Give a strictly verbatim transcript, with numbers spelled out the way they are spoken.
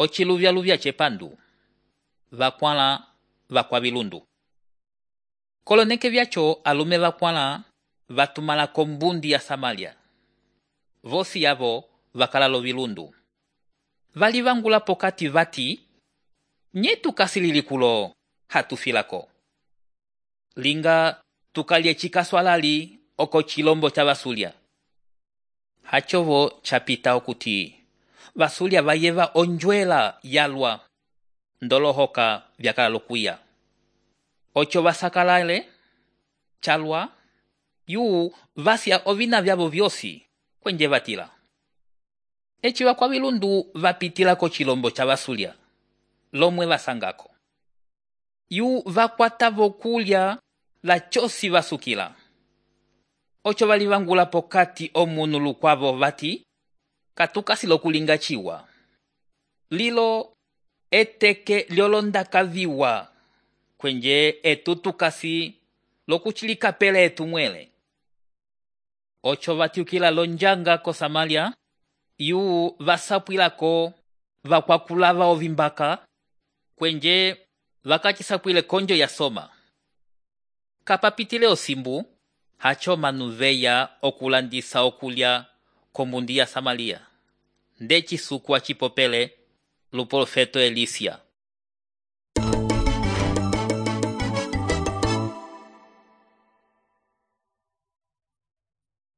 ociluvya-luvya cepandu, vakwãla vakwa vilundu. Koloneke vyaco alume vakwãla vatumala kombundi ya Samalia. Vosi yavo vakalalo vilundu. Valivangula pokati vati, nye tukasilili kulo hatufilako. Linga tukalye cikaswalali oko cilombo ca vasulya. Hacovo capita okuti vasulya vayeva onjwela yalwa ndolohoka vyakalalo kuya. Oco vasakalale calwa yu vasya ovina vyavo vyosi kwenje vatila. Eci vakwa vilundu vapitila ko cilombo ca vasulya, lomwe vasangako. Yu vakwata vokulya la cosi vasukila. Oco valivangula pokati omunu lukwavo vati, katukasilo kulinga ciwa. Lilo eteke lyolondaka viwa, kwenje etutukasi lokuchilika pele etumwele. Oco vatiukila lonjanga ko Samalia, yu vasapwilako vakwakulava ovimbaka, kwenje vakacisapwile konjo ya Soma. Kapapitile osimbu, hacho manu veya okulandisa okulya kombundi ya Samalia. Ndeci suku acipopele luprofeto Elisia.